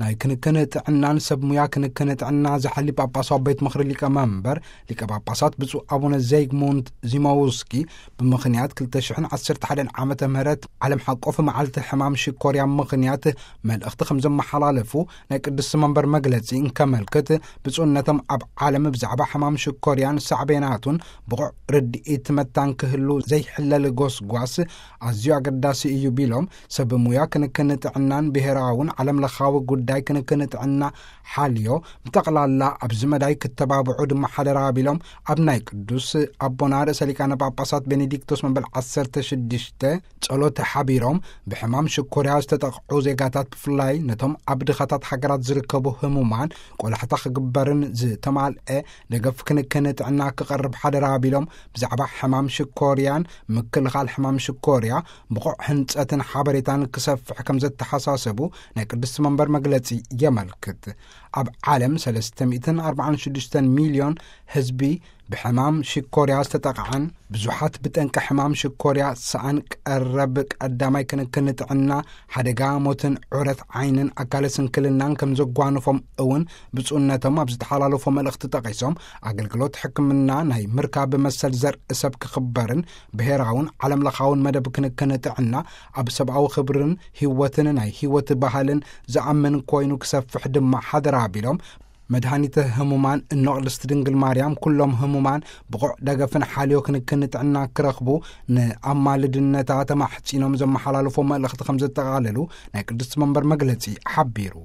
ናይ ክንክን ጥዕናን ሰብ ሙያ ክንክን ጥዕና ዝሓሊ ጳጳሳዊ ቤት ምኽሪ ሊቀ መንበር ሊቀ ጳጳሳት ብፁዕ ኣቡነ ዘይግሙንት ዚማውስኪ፣ ብምኽንያት ክልተ ሽሕን ዓሰርተ ሓደን ዓመተ ምህረት ዓለም ሓቆፍ መዓልቲ ሕማም ሽኮርያ ምኽንያት መልእኽቲ ከም ዘመሓላለፉ ናይ ቅድስቲ መንበር መግለጺ እንከመልክት፣ ብፁዕነቶም ኣብ ዓለም ብዛዕባ ሕማም ሽኮርያን ሳዕቤናቱን ብቑዕ ርድኢት መታን ክህሉ ዘይሕለል ጎስጓስ ኣዝዩ ኣገዳሲ እዩ ቢሎም፣ ሰብ ሙያ ክንክን ጥዕናን ብሔራውን ዓለም ለኻዊ ጉዳይ ክንክን ጥዕና ሓልዮ ብጠቕላላ ኣብዚ መዳይ ክተባብዑ ድማ ሓደራ ቢሎም፣ ኣብ ናይ ቅዱስ ኣቦና ርእሰ ሊቃነ ጳጳሳት ቤኔዲክቶስ መበል ዓሰርተ ሽዱሽተ ጸሎት ሓቢሮም፣ ብሕማም ሽኮርያ ዝተጠቕዑ ዜጋታት ብፍላይ ነቶም ኣብ ድኻታት ሃገራት ዝርከቡ ህሙማን ቆላሕታ ክግበርን ዝተማልአ ደገፍ ክንክን ጥዕና ክቐርብ ሓደራ ቢሎም፣ ብዛዕባ ሕማም ሽኮርያን ምክልኻል ሕማም ሽኮርያ ብቑዕ ህንጸትን ሓበሬታን ክሰፍሕ ከም ዘተሓሳሰቡ ናይ ቅድስቲ መንበር መግለጺ የመልክት። ኣብ ዓለም ሰለስተ ሚእትን ኣርባዓን ሽዱሽተን ሚልዮን ህዝቢ ብሕማም ሽኮርያ ዝተጠቕዐን ብዙሓት ብጠንቂ ሕማም ሽኮርያ ሰኣን ቀረብ ቀዳማይ ክንክን ጥዕና ሓደጋ ሞትን ዑረት ዓይንን ኣካለ ስንክልናን ከም ዘጓንፎም እውን ብፁዕነቶም ኣብ ዝተሓላለፎ መልእኽቲ ጠቒሶም፣ ኣገልግሎት ሕክምና ናይ ምርካብ መሰል ዘርኢ ሰብ ክኽበርን ብሔራውን ዓለም ለኻውን መደብ ክንክን ጥዕና ኣብ ሰብኣዊ ክብርን ህይወትን ናይ ህይወት ባህልን ዝኣምን ኮይኑ ክሰፍሕ ድማ ሓደራ ቢሎም፣ መድሃኒተ ህሙማን እኖ ቅድስቲ ድንግል ማርያም ኩሎም ህሙማን ብቑዕ ደገፍን ሓልዮ ክንክን ጥዕና ክረኽቡ ንኣማልድነታ ተማሕጺኖም ዘመሓላልፎ መልእኽቲ ከም ዘጠቓለሉ ናይ ቅድስቲ መንበር መግለጺ ሓቢሩ።